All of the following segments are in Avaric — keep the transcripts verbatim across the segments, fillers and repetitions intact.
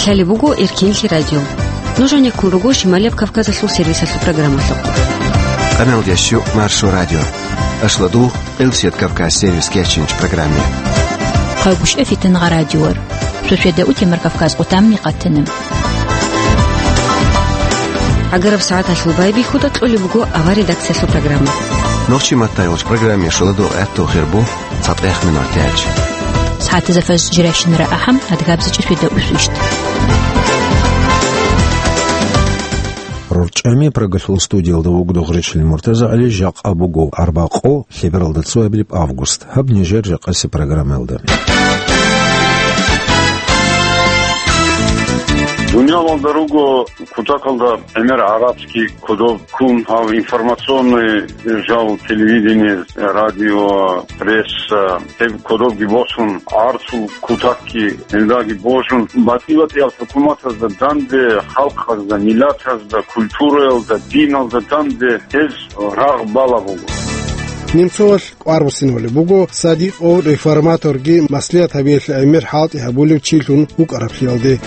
Лъалеб буго Эркенлъи радио. Нуж гьанеккун руго Шималияб Кавказалъул сервисалъул программалъухъ. Къаналдящу Маршо радио. Ашладу Элсет Кавказ сервис кечинч программе. Хъагушев Фитнагъа радиор. Суседа утемар Кавказ къутамни къатана. Агараб сагӀаталъул байбихьуда кьолеб буго авар редакциялъул программа. Нохчи маттайолч программе шуладу гӀатту хирбу. ЦатӀех минутач. СагӀатазда фаз жиращинара ахӀам, адгабзичӀи светда усвищт. РорчӀами прогалъул студиялда вугдугъ речил МуртазагӀали, жакъа буго арбакъо, лъебералда цоабилеб август. Гьаб нижер жакъаси программаялда. Дуниялалда руго кутакалда гӀемер гӀарабский кодоб ккун, гьав информационный жал, телевидение, радио, пресса, гьеб кодобги босун, гӀарцул кутакги гьелдаги божун, батӀи-батӀиял хӀукуматазда данде, халкъазда, миллатазда, культураялда, диналда данде гьез рагъ бала буго. Немцовалъ кӀвар буссинавулеб буго садикъов реформаторги маслигӀат гьабиялъе гӀемер хӀалтӀи гьабулев чилъун вукӀараблъиялде.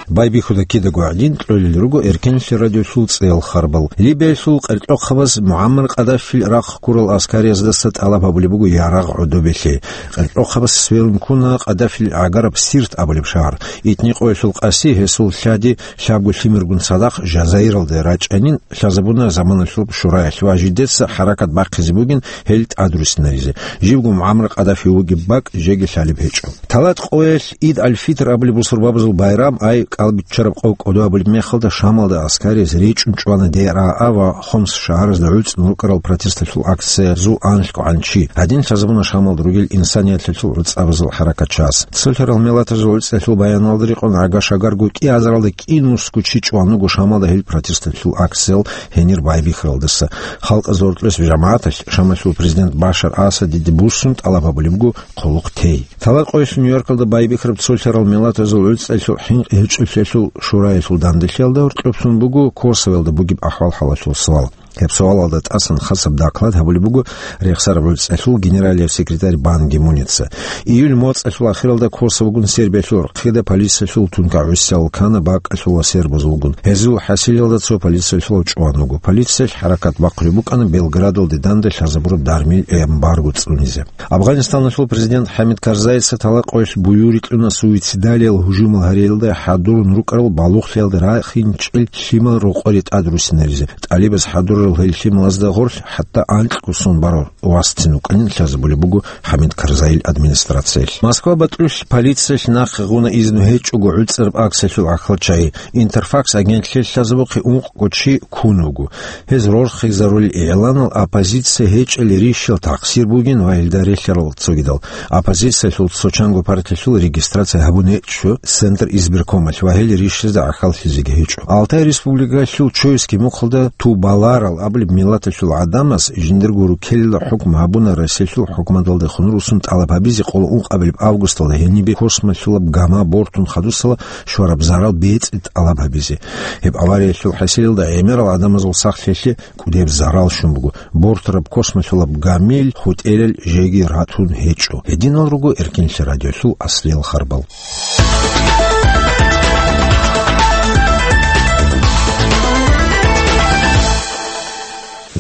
Байбихьуда кидаго гӀадин кьолел руго Эркенлъи радиолъул цӀеял харбал. Либиялъул къеркьохъабаз МугӀаммар Къаддафил рахъ ккурал аскарияздаса тӀалаб гьабулеб буго ярагъ гӀодобелъи. Къеркьохъабас сверун ккуна Къаддафил гӀагараб Сирт абулеб шагьар. Итникъоялъул къаси гьесул лъади лъабго лъимергун цадахъ Жазаиралде рачӀанин лъазабуна заманалъуб шураялъ ва жидеца хӀаракат бахъизе бугин гьел тӀадруссинаризе. Живго МугӀаммар Къаддафи вугеб бакӀ жеги лъалеб гьечӀо. Талат къоялъ Ид аль-Фитр абулеб бусурбабазул байрам, ай кӀалбиччараб къо кӀодо абулеб мехалда, Шамалда аскариз речӀун чӀвана ДРАА ва Хомс шагьаразда гӀуцӀун рукӀарал протесталъул акциязул анлъго гӀанчи. Гьадин лъазабуна Шамалда ругел инсанияталъул гӀуцӀабазул хӀаракатчияс. Цолъарал миллатазул гӀуцӀалъул баяналда рекъон гӀага-шагарго кӀиазаралда кӀинусго чи чӀван вуго Шамалда гьел протесталъул акциял гьенир байбихьаралдаса. Халкъазул гьоркьоса жамагӀаталъ Шамалъул президент Башар Асадиде буссун тӀалаб гьабулеб буго хъулухъ тей. Талат къоялъ Нью-Йоркалда байбихьараб цолъарал миллатазул гӀуцӀалъул хӀинкъи гьечӀолъиялъул шураялъул данделъиялда гьоркьоб сон буго Косовоялда бугеб ахӀвал-хӀалалъул суал. Гьеб суалалда тӀасан хасаб доклад гьабулеб буго рехсараб гӀуцӀалъул генералияв секретарь Бан Ги Муница. Июль моцӀалъул ахиралда Косово вугун Сербиялъул рахъида полициялъул тункагӀусиял ккана бакӀалъул ва сербазул вугун. Гьезул хӀасилалда цо полициялъулав чӀван вуго. Полициялъ хӀаракат бахъулеб букӀана Белградалде данде лъазабураб дармил эмбарго цӀунизе. Афганистаналъул президент ХӀамид Карзайица талат къоялъ буюрикьуна суицидалиял гьужумал гьариялда хӀадурун рукӀарал балугълъиялда рахинчӀел лъимал рокъоре тӀадруссинаризе. ТӀалибаз хӀадурарал гьел лъималазда гъорлъ хӀатта анкьго сон барав васцин вукӀанин лъазабулеб буго ХӀамид Карзайил администрациялъ. Москва бакьулъ полициялъ нахъе гъуна изну гьечӀого гӀуцӀараб акциялъул гӀахьалчагӀи. Интерфакс агентлъиялъ лъазабухъе ункъго чи ккун вуго. Гьез рорхизарулел игӀланал оппозиция гьечӀел рищал тахсир бугин ва гьелда релълъарал цогидал. Оппозициялъул цо чанго партиялъул регистрация гьабун гьечӀо Центр избиркомалъ ва гьел рищазда гӀахьаллъизеги гьечӀо. Алтай Республикалъул Чойский мухъалда Тубаларал абулеб миллаталъул гӀадамаз жиндирго руккелила хӀукму гьабуна Россиялъул хӀукуматалдехун руссун тӀалаб гьабизе къоло ункъабилеб августалда гьенибе космолъулаб гама бортун хадусала щвараб зарал бецӀи тӀалаб гьабизе. Гьеб авариялъул хӀасилалда гӀемерал гӀадамазул сахлъиялъе кӀудеб зарал щун буго. Бортараб космолъулаб гамил хутӀелал жеги ратун гьечӀо. Гьединал руго Эркенлъи радиолъул аслиял харбал.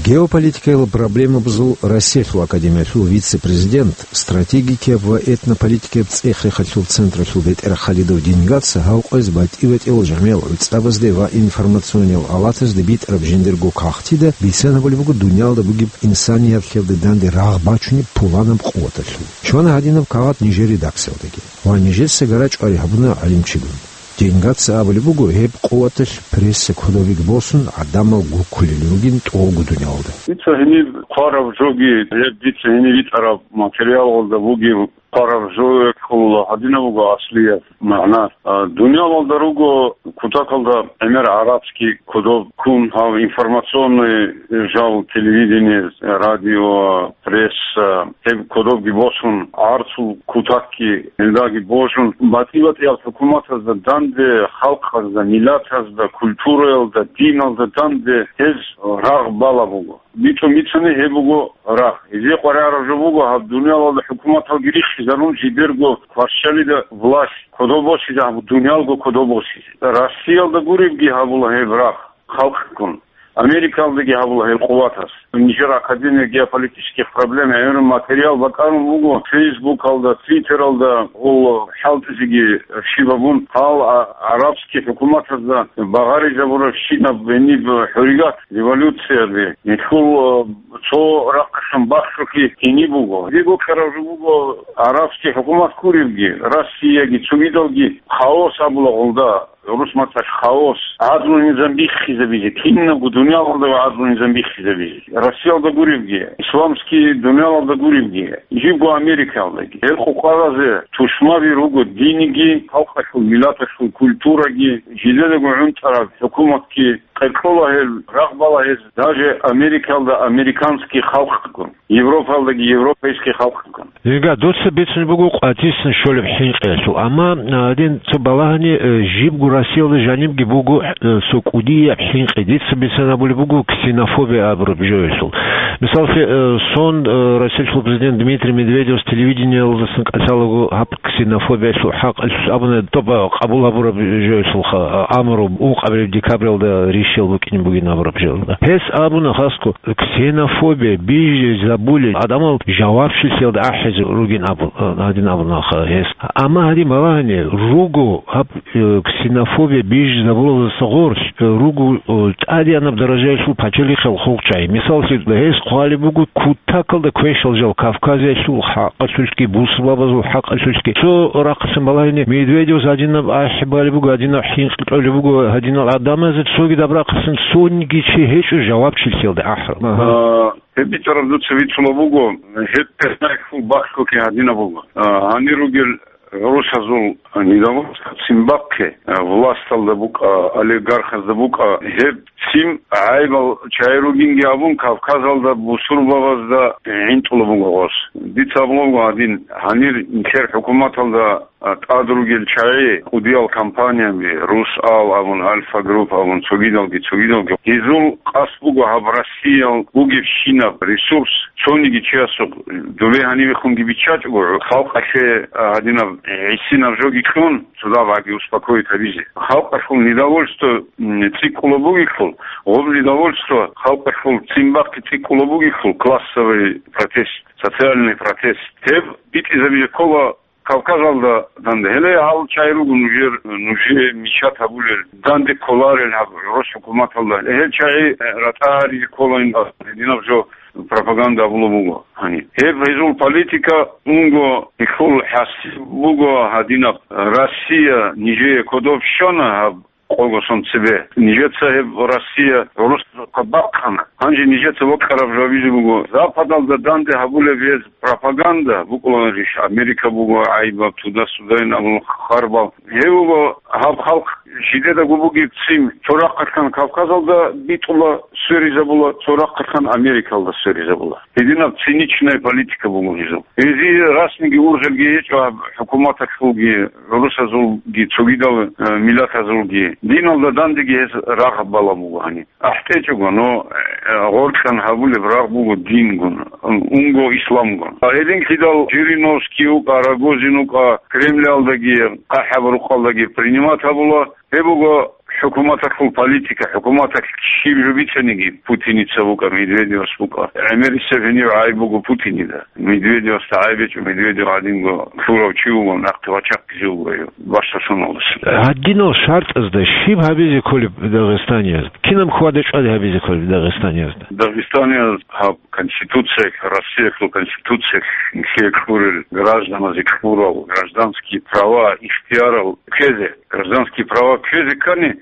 Геополитикаялъул проблемабазул Россиялъул академиялъул вице-президент, стратегикияб ва этнополитикияб цӀех-рехалъул централъул бетӀер Халидов Деньгаца гьав къвез батӀи-батӀиял жамигӀал гӀуцӀабазде ва информациониял алатазде битӀараб жиндирго кагътида бицана гьабулеб буго дуниялда бугеб инсанияталъе данде рагъ бачунеб пуланаб къуваталъул. Щвана гьадинаб кагъат нижер редакциялдаги ва нижеца гара-чӀвари гьабуна гӀалимчигун. Деньгаца абулеб буго, гьеб къуваталъ пресса кодобиги босун, гӀадамал гуккулел ругин тӀолго дуниялда. Дица гьениб хъвараб жоги, гьеб дица гьениб битӀараб материалалда бугеб хъвараб жо ккола гьадинаб буго аслияб магӀна. А, дуниялалда руго кутакалда гӀемер гӀарабский кодоб ккун, гьав информационный жал, телевидение, радио, пресса, гьеб кодобги босун, гӀарцул кутакги гьелдаги божун, батӀи-батӀиял хӀукуматазда данде, халкъазда, миллатазда, культураялда, диналда данде гьез рагъ бала буго. БитӀун бицани гьеб буго рагъ. Гьезие къваригӀараб жо буго гьаб дуниялалда хӀукуматалги риххи Зарун жидерго кваршалида власть кодобосизе гьабу, дуниялго кодобосизе. Россиялда гуребги гьабула гьеб рахъ халкъгун. Америкалдаги гьабула гьел къуватас. Нижер Академия геополитических проблем гӀемерун материал бакӀарун буго Фейсбукалда, Твиттералда, гьул хӀалтӀизеги щибабун, гьал а-, арабский хӀукуматазда багъаризабурабщинаб гьениб хӀуррият, революцияби, нилъул, э, цо рахъалъан бахъулъи гьениб буго. Дего ккараб жо буго арабский хӀукумат гуребги, Россияги, цогидалги хаос абула гъулда. Гьурус мацӀалъ хаос, гӀадлу-низам биххизабизе, кинабго дуниялалда гӀадлу-низам биххизабизе. Россиялда гуребги, исламский дуниялалда гуребги, жибго Америкалдаги. Гьел къукъаразе тушмаби руго диниги, халкъалъул, миллаталъул культураги, жидедаго гӀунтӀараб хӀукуматги, къеркьола гьел, рагъбала гьез, даже Америкалда американский халкъгун. Европалдаги европейский халкъгун. Жига, дуца бицун буго къватӀисан щолеб хӀинкъиялъул, амма, а, гьадин цо балагьани, э, жибго Россиялда жанибги буго, э, цо кӀудияб хӀинкъи. Дица бицан абулеб буго ксенофобия абураб жоялъул. Мисаллъи, э, сон, э, Россиялъул президент Дмитрий Медведевас телевидениялдасан кӀалъалаго гьаб ксенофобиялъул хӀакъалъулъ абуна, тӀоба къабул гьабураб жоялъул ха-, амру, ункъабилеб декабралда ришиял букӀине бугин абураб жоялда. Гьес абуна хасго, ксенофобия бижизабулел гӀадамал жавабчилъиялда ахӀизе ругин абу-, гьадин абуна ха-, гьес. Амма гьадин балагьани, руго гьаб, э, ксенофобия бижизабулелдаса гъорлъ, э, руго, э, тӀадегӀанаб даражаялъул пачалихъал хъулчӀай. Мисаллъи, гьес хъвалеб буго кутакалда квешал жал Кавказиялъул хӀакъалъулъги, бусурбабазул хӀакъалъулъги. Цо рахъалъан балагьани, Медведевас гьадинаб ахӀи балеб буго, гьадинаб хӀинкъи кьолеб буго, гьадинал гӀадамазе цогидаб рахъалъан цониги чи гьечӀо жавабчилъиялда ахӀараб. Агьа. А, гьеб битӀараб дуца бицула буго, гьеб персонажлъул бахъуки гьадинаб буго. А, гьанир ругел гӀурусазул недовольство ццин бахъе, а, власталда букӀа, олигархазда букӀа, гьеб ццин гӀайбал чагӀи ругинги абун, Кавказалда бусурбабазда гӀинтӀула буго гъос. Дица абула буго гьадин, гьанир нилъер хӀукуматалда а, тӀад ругел чагӀи, кӀудиял компанияби, Русал абун, Альфа Групп абун, цогидалги, цогидалги. Гьезул къасд буго гьаб Россиял бугебщинаб ресурс цониги чиясухъ, дубе гьанивехунги биччачӀого, халкъалъе, а, гьадинаб гӀисинаб жоги кьун, цодагьаги успокоить гьабизе. Халкъалъул недовольство, м, цӀикӀкӀула бугелъул, гъоб недовольство халкъалъул ццин бахъе цӀикӀкӀула бугелъул, классовый протест, социальный протест, гьеб битӀизабизе ккола Кавказалда данде. Гьеле гьал чагӀи руго нужер, нужее мичат гьабулел, данде кколарел гьаб гӀурус хӀукуматалда. Гьел чагӀи ратӀа гьаризе ккола ин гьединаб жо пропаганда гьабулеб буго гьаниб. Гьеб гьезул политика унго гьелъул хӀасил буго гьадинаб: Россия нижее кодоб щвана гьаб къого сон цебе. Нижеца гьеб Россия гӀурусазухъа бахъана. Гьанже нижеца вокьараб жо гьабизе буго. Западалда данде гьабулеб гьез пропаганда букӀуларищ, Америка буго гӀайибаб, туда-сюда ин абун харбал. Гьев вуго гьаб халкъ жидедаго бугеб ццин, цо рахъалъан Кавказалда битӀула, сверизабула, цо рахъалъан Америкалда сверизабула. Гьединаб циничная политика буго гьезул. Гьезие расмиги ургъелги гьечӀо гьаб хӀукуматалъулги, гӀурусазулги, цогидал, э, миллатазулги. Диналда дандеги гьез рагъ балаб буго гьаниб. АхӀтӀечӀого, но, э, гъоркьан гьабулеб рагъ буго дингун, унго исламгун. Гьединлъидал Жириновский вукӀа, Рогозин вукӀа, Кремлалдаги, ХъахӀаб рукъалдаги принимать гьабула. Гьеб буго хӀукуматалъул политика, хӀукуматалъ щиб жо бицаниги, Путиница вукӀа, Медведевас вукӀа. ГӀемерисеб гьенив гӀайиб буго Путинида. Медведевасда гӀайиб гьечӀо, Медведев гьадинго лъурав чи вуго, нахъе вачахъизе вуго гьев, бащдаб соналдаса. Гьадинал шартӀазда щиб гьабизе кколеб Дагъистаниязда? Кинаб хьвада-чӀвади гьабизе кколеб Дагъистаниязда? Дагъистанияз гьаб Конституциялъ, Россиялъул Конституциялъ нилъее кьурел гражданазе кьурал гражданские права, ихтиярал ккезе, гражданские права ккезе ккани,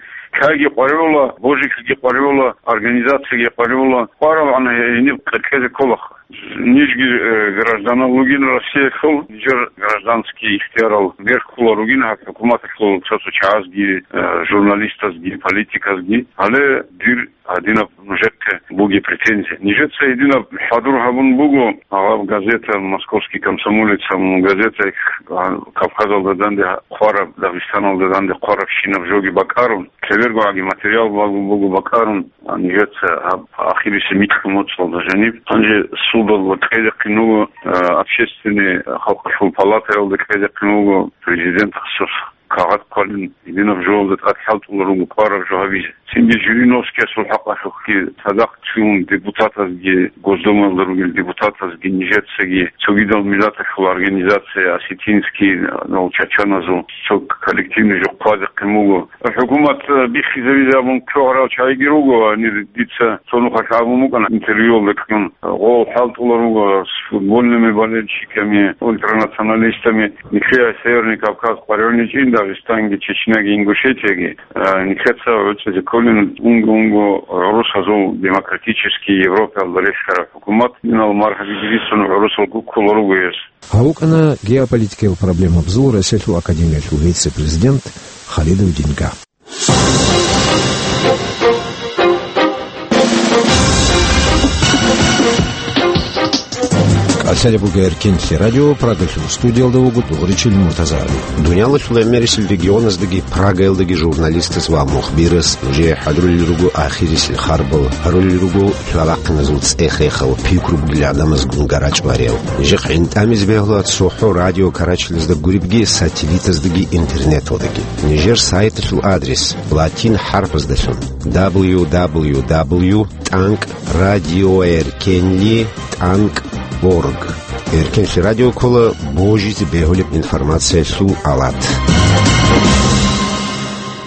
лъайги къваригӀула, божилъги къваригӀула, организацияги къваригӀула, къварабгӀан гьениб кьезе кколаха. Нижги, э, гражданал ругин Россиялъул, нижер гражданский ихтиярал берхъула ругин гьаб хӀукуматалъул цо-цо чагӀазги, э, журналистазги, политиказги. Гьале дир Гьадинаб нужехъе бугеб претензия. Нижеца гьединаб хӀадур гьабун буго, гьаб газета, «Московский комсомолец» абун газета, а, Кавказалда данде хъвараб, Дагъистаналда данде хъварабщинаб жоги бакӀарун, цебергоги материал буго, буго бакӀарун, а, нижеца гьаб ахирисе микьго моцӀалда жаниб. Гьанже судалда кьедехъин вуго, а, общественный, халкъалъул палатаялда кьедехъин вуго президентасухъ кагъат хъвалин, гьединаб жоялда тӀад хӀалтӀулел руго кӀвараб жо гьабизе. Цинги Жириновскиясул хӀакъалъулъги цадахъ цун депутатазги, Госдумаялда ругел депутатазги, нижецаги, цогидал миллаталъул организация, осетинский, ну, чачаназул, цо коллективный жо хъвадихъин буго. ХӀукумат, э, биххизавизе абун ккогӀарал чагӀиги руго, гьанир дица цо нухалъ абун букӀана интервьюялда кьун. Гъол хӀалтӀулел руго с футбольными болельщиками, ультранационалистами. Нилъее Северный Кавказ къваригӀуничӀин, Дагъистанги, Чечняги, Ингушетияги, а, нилъеца гӀуцӀизе кколин унго-унго гӀурусазул демократический Европаялда релълъараб хӀукумат, гьединал мархӀаби бицун гӀурусалго ккола руго гьес. Гьав вукӀана геополитикиял проблемабазул Россиялъул академиялъул вице-президент Халидов Динга. КӀалъалеб буго Эркенлъи радио, Прагалъул студиялда вуго Дугъричил Муртазагьаби. Дуниялалъул гӀемерисел регионаздаги Прагаялдаги журналистас ва мухбирас нужее хӀадурулел руго ахирисел харбал, гьарулел руго лъалахъиназул цӀех-рехал, пикру бугел гӀадамазгун гарачӀ ва рел. Нижехъ гӀинтӀамизе бегьула цохӀо радио карачалазда гуребги, сателлитаздаги интернеталдаги. Нижер сайталъул адрес латин хӀарпаздалъун: дабл ю дабл ю дабл ю тӀанкӀ радиоэркенли тӀанкӀ орг. Эркенлъи радио ккола божизе бегьулеб информациялъул алат.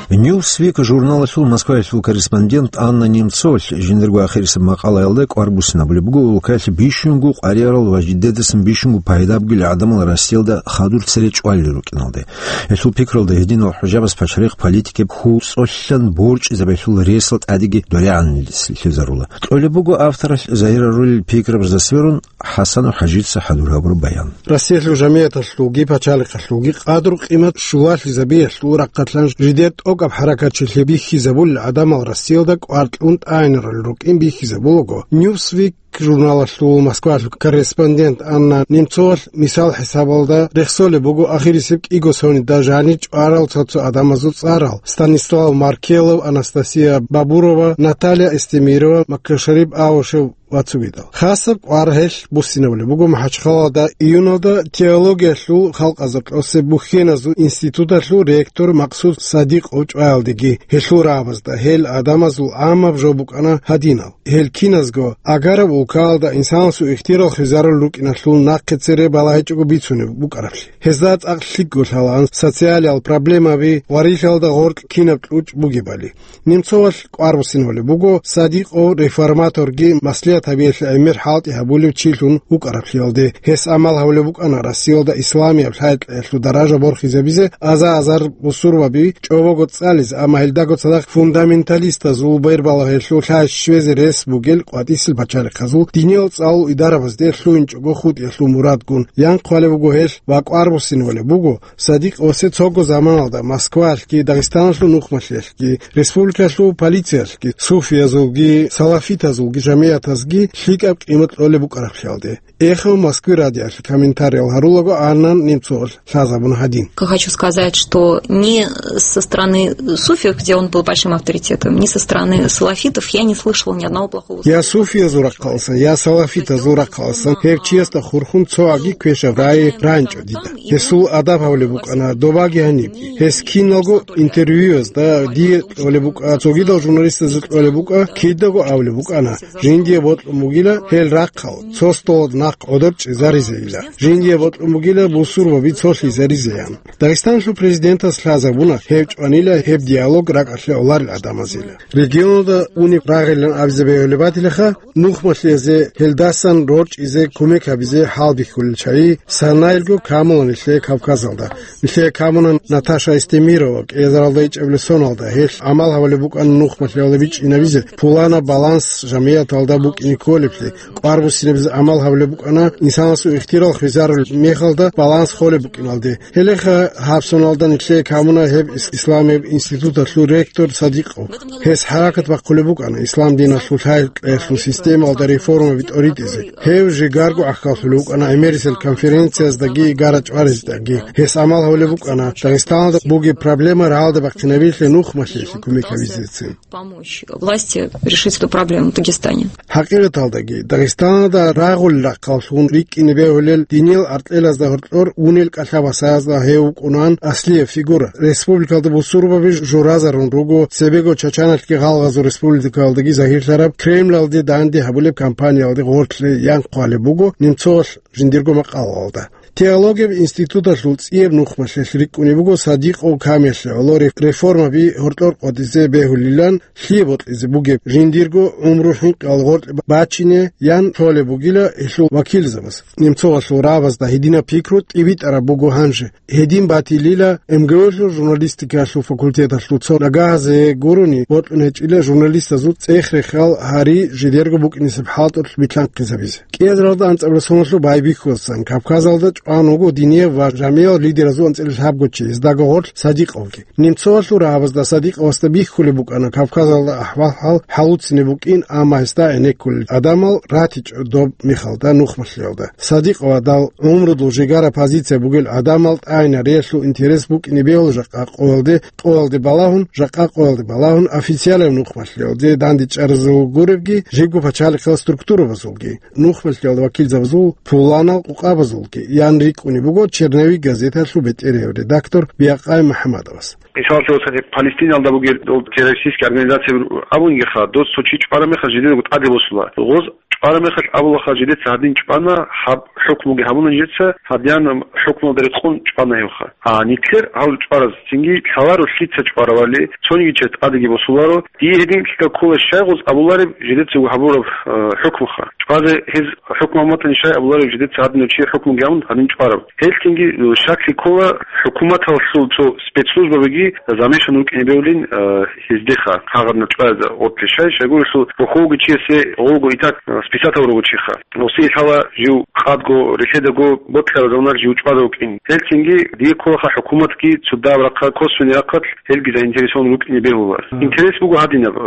Newsweek журналалъул Москваялъул корреспондент Анна Немцовалъ жиндирго ахирисеб макъалаялда кӀвар буссинабулеб буго улкаялъ бищунго къваригӀарал ва жидедасан бищунго пайда бугел гӀадамал Россиялда хадур цере чӀвалел рукӀиналде. Гьелъул пикралда гьединал хӀужабаз пачарихъ политикаб хьул цӀолъан борчӀизабиялъул ресал тӀадеги дорегӀанлъи лъезарула. Кьолеб буго авторалъ загьирарулел пикрабазда сверун ХӀасану ХӀажица хӀадур гьабураб баян. Россиялъул жамигӀаталъулги пачалихъалъулги къадру-къимат щулалъизабиялъул рахъалъан жидер тӀокӀаб хӀаракатчилъи бихьизабулел гӀадамал Россиялда кӀвар кьун тӀагӀинарулел рукӀин бихьизабулаго, Newsweek журналалъул Москвалъул корреспондент Анна Немцовалъ мисал хӀисабалда рехсолеб буго ахирисеб кӀиго сонида жанир чӀварал цо-цо гӀадамазул цӀарал: Станислав Маркелов, Анастасия Бабурова, Наталья Эстемирова, Маккашарип Аушев ва цогидал. Хасаб кӀвар гьелъ буссинабулеб буго МахӀачхъалалда июналда теологиялъул халкъазул тӀоцеб бухьеназул институталъул ректор Максуд Садикъов чӀваялдеги, гьелъул рагӀабазда гьел гӀадамазул гӀаммаб жо букӀана гьадинал. Гьел киназго агараб улкаялда инсанасул ихтияр хвезарулел рукӀиналъул нахъе цере балагьичӀого бицунеб букӀараблъи. Гьезда цӀакъ лъикӀго лъалаан социалиял проблемаби ва рихьалда гъоркь кинаб кьучӀ бугебали. Немцовалъ кӀвар буссинабулеб буго Садикъов реформаторги маслигӀат гьабиялъе гӀемер хӀалтӀи гьабулев чилъун вукӀараблъиялде. Гьес амал гьабулеб букӀана Россиялда исламияб лъай-кьеялъул даража борхизабизе, аза-азар бусурбаби чӀобого цӀализе, амма гьелдаго цадахъ фундаменталистазул бербалагьиялъул лъай щвезе рес бугел къватӀисел пачалихъазул диниял цӀалул идарабазде лъугьинчӀого хутӀиялъул мурадгун. Янхъ гьалеб буго гьелъ ва кӀвар буссинабулеб буго Садикъовасе цого заманалда Москваялъги, Дагъистаналъул нухмалъиялъги, республикалъул полициялъги, суфиязулги, салафитазулги жамигӀатазги лъикӀаб къимат кьолеб букӀараблъиялде. Эхо Москвы радиоялъе комментариял гьарулаго Анна Немцовалъ лъазабуна гьадин. Хочу сказать, что ни со стороны суфиев, где он был большим авторитетом, ни со стороны салафитов я не слышала ни одного плохого слова. Я суфиязул рахъаласан, я салафитазул рахъаласан гьев чиясда хурхун цоги квешаб рагӀи рагӀинчӀо дида. Гьесул адаб гьабулеб букӀана добаги гьанибги. Гьес киналго интервьюязда дие кьолеб букӀа, цогидал журналистазда кьолеб букӀа, кидаго абулеб букӀана, жиндие бокьун бугила гьел рахъал, цо столалда нахъ гӀодор чӀезаризейила. Жиндие бокьун бугила бусурбаби цолъизаризеян. Дагъистаналъул президентас лъазабуна гьев чӀванила гьеб диалог ракӀалъе гӀоларел гӀадамазила. Регионалда унеб рагъилан абизе бегьулеб батилаха, нухмалъи гьелдасан рорчӀизе кумек гьабизе хӀалбихьулел чагӀи санайилго камуна нилъее Кавказалда. Нилъее камуна Наташа Эстемирова, кӀиазаралда ичӀабилеб соналда. Гьелъ гӀамал гьабулеб букӀана нухмалъиялда бичӀчӀинабизе, пуланаб баланс жамигӀаталда букӀине кколеблъи, кӀвар буссинабизе гӀамал гьабулеб букӀана, инсанасул ихтирал хвезарулеб мехалда баланс холеб букӀиналде. Гьелеха гьаб соналда нилъее камуна гьеб ис-, исламияб институталъул ректор Садикъов. Гьес хӀаракат бахъулеб букӀана ислам диналъул лъай-кьеялъул системалда реформаби тӀоритӀизе. Гьев жигарго гӀахьаллъулев вукӀана гӀемерисел конференцияздаги гара-чӀварездаги. Гьес гӀамал гьабулеб букӀана Дагъистаналда бугеб проблема рагӀалде бахъинабилъе нухмалъиялъе кумек гьабизецин. Помочь власти решить эту проблему в Дагестане. ХӀакъикъаталдаги, Дагъистаналда рагъул рахъаллъун рикӀкӀине бегьулел диниял аркьелазда гьоркьор унел кӀалъа-васаязда гьев вукӀунан аслияб фигура. Республикалда бусурбаби журазарун руго, цебего Чачаналъги гъалгъазул республикалдаги загьирлъараб Кремлалде данде гьабулеб кампаниялде гъорлъе ян хъвалеб буго Немцовалъ жиндирго макъалаялда. Теологияб институталъул цӀияб нухмалъиялъ рикӀкӀунеб буго Садикъов Камиллъи гӀоло реф-, реформаби гьоркьор къотӀизе бегьулилан, лъие бокьизе бугеб жиндирго гӀумру хӀинкъиялда гъоркье бачине ян лъолеб бугила гьелъул вакилзабаз. Немцовалъул рагӀабазда гьединаб пикру тӀибитӀараб буго гьанже. Гьедин батилила МГУ-лъул журналистикалъул факультеталъул цо нагагьазе гурони бокьун гьечӀила журналистазул цӀех-рехал гьари жидерго букӀинесеб хӀалтӀулъ билълъанхъизабизе. КӀиазаралда анцӀабилеб соналъул байбихьуласан Кавказалда чӀван вуго динияб ва жамигӀал лидеразул анцӀила лъабго чи, гьездаго гъорлъ Садикъовги. Немцовалъул рагӀабазда Садикъовасда бихьулеб букӀана Кавказалда ахӀвал-хӀал хӀалуцинеб букӀин, амма гьесда гӀенеккулел гӀадамал ратичӀо доб мехалда нухмалъиялда. Садикъовадал гӀумрудул жигара позиция бугел гӀадамал тӀагӀинариялъул интерес букӀине бегьула жакъа къоялде, къоялде балагьун, жакъа къоялде балагьун, официалаб нухмалъиялде дандечӀаразул гуребги, жибго пачалихъал структурабазулги, нухмалъиялда вакилзабазул пуланал къукъабазулги, ян рикӀкӀунеб буго «Черновик» газеталъул бетӀерияв редактор Биакъай МухӀаммадовас. Мисаллъун, Палестиналда бугел дол террористический организация абунгеха, дос цо чи чӀвараб мехалъ жидедаго тӀаде босула. Гъоз чӀвараб мехалъ абулаха, жидеца гьадин чӀвана, гьаб хӀукмуги гьабуна жидеца, гьадинаб хӀукмуялда рекъон чӀвана гьевха. А нилъер гьал чӀвараз цинги лъаларо лъица чӀваравали, цониги чияс тӀадеги босуларо. Дие гьединлъидал ккола щай гъоз абулареб жидецаго гьабураб, э, хӀукмуха. ЧӀвазе гьез хӀукму гьабун батани, щай абулареб жидеца гьадинав чи хӀукмуги гьабун, гьадин чӀвараб. Гьелъ цинги, э, щаклъи ккола хӀукуматалъул цо спецслужбабиги замешан рукӀине бегьулин, э, гьездеха, гьагъадинал чӀваязда гъорлъе. Щай, щайгурелъул бухьулги чиясе гъолго итак, э, списатал руго чиха. Гъосие лъала жив къадго релъедаго бокьараб заманалъ жив чӀвазе вукӀин. Гьелъ цинги дие кколаха хӀукуматги цо дагьаб рахъа, косвенный рахъалъ гьелги заинтересован рукӀине бегьула. Мгм. Интерес буго гьадинаб, э,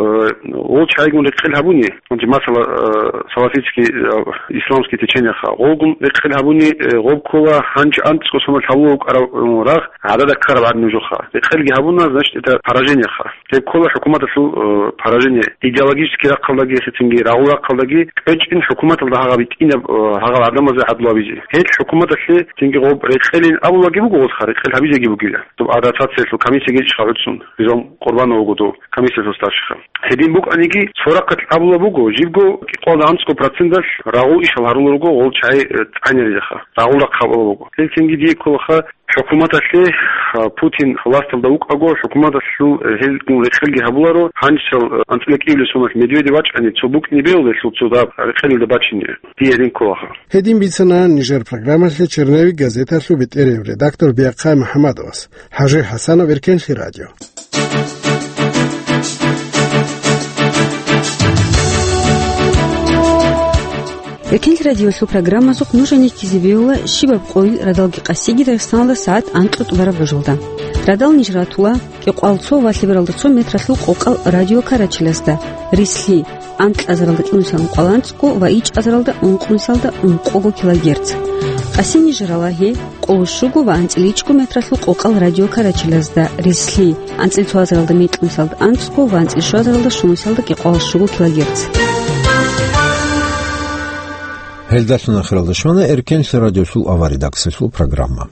гъол чагӀигун рекъел гьабуни, гьанже масала, э, салафитский, э, исламский течениеха. Гъолгун рекъел гьабуни, э, гъоб ккола гьанже анцӀго соналъ гьабула вукӀараб, э, рагъ гӀадада ккараб гӀадин нужеха. Рекъелги гьабуна, значит, это поражениеха. Гьеб ккола хӀукуматалъул, э, поражение. Идеологический рахъалдаги, гьесецинги рагъул рахъалдаги кӀвечӀин хӀукуматалда гьагъаб битӀинаб, э, гьагъал гӀадамазе гӀадлу гьабизе. Гьел хӀукуматалъе цинги гъоб рекъелин абулаги буго гъозха, рекъел гьабизеги бугила. Доб адаптациялъул комиссия гьечӀха гӀуцун, Ризал Къурбанов вуго дов комиссиялъул старшиха. Гьедин букӀаниги, цо рахъалъ абула буго, жибго кӀикъоялда анцӀго проценталъ рагъул ишал гьарулел руго гъол чагӀи, э, тӀагӀинарилаха, рагъул рахъ гьабула буго. Гьелъ цинги дие кколаха, хӀукуматалъе, а, Путин власталда вукӀаго, хӀукуматалъул, э, гьелгун рекъелги гьабуларо, гьанжесал, э, анцӀила кӀиабилеб соналъ Медведев вачӀани, цо букӀине бегьулелъул цо дагьаб рекъелилда бачине. Дие гьедин кколаха. Гьедин бицана нижер программалъе «Черновик» газеталъул бетӀерияв редактор Биахъай МухӀамадовас. ХӀажи ХӀасанов, Эркенлъи радио. Эркенлъи радиолъул программазухъ нуж гьанив ккезе бегьула щибаб къойил радалги къасиги Дагъистаналда сагӀат анкьго тӀубараб рожалда. Радал ниж ратула кӀикъоялда цо ва лъебералда цо метралъул къокъал радиокарачилазда, рислъи, анкьазаралда чӀунусиялда ункъоялда анцӀго ва ичӀазаралда ункънусиялда ункъого килогерц. Къасин ниж рала гьеб къоло щуго ва анцӀила ичӀго метралъул къокъал радиокарачилазда, рислъи, анцӀила цоазаралда мекьнусиялда анцӀго ва анцӀила щуазаралда щунусиялда кӀикъоялда щуго килогерц. Гьелдалъун ахиралда щвана Эркенлъи радиолъул авария редакциялъул программа.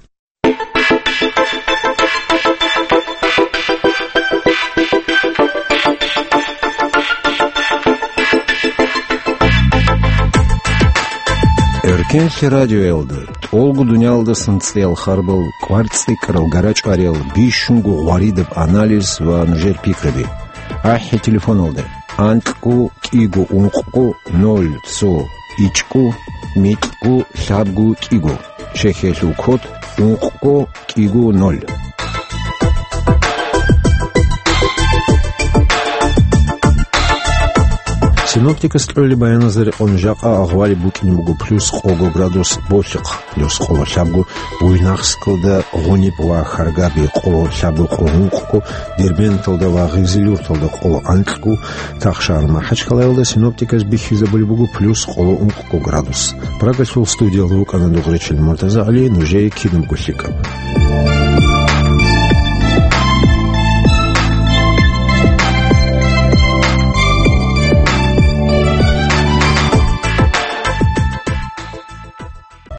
Эркенлъи радиоялда тӀолго дуниялдасан цӀиял харбал, кӀвар цӀикӀкӀарал, гара-чӀвариял, бищунго гъваридаб анализ ва нужер пикраби. АхӀи телефоналда. анкьго кӀиго ункъго ноль цо ичӀго микьго лъабго кӀиго. Чехиялъул код ункъго кӀиго ноль. Синоптикас кьолеб баяназда рекъон жакъа агъвалеб букӀине буго плюс къого градус Болъихъ, плюс къоло лъабго Буйнакскалда, Гъуниб ва Харгаби къоло лъабго къо ункъго, Дербенталда ва Гъизилюрталда къоло анкьго, Тахшар-МахӀачхъалаялда синоптиказ бихьизабулеб буго плюс къоло ункъго градус. Прагалъул студиялда вукӀана Дугъричил МуртазагӀали, нужее кинабго лъикӀаб.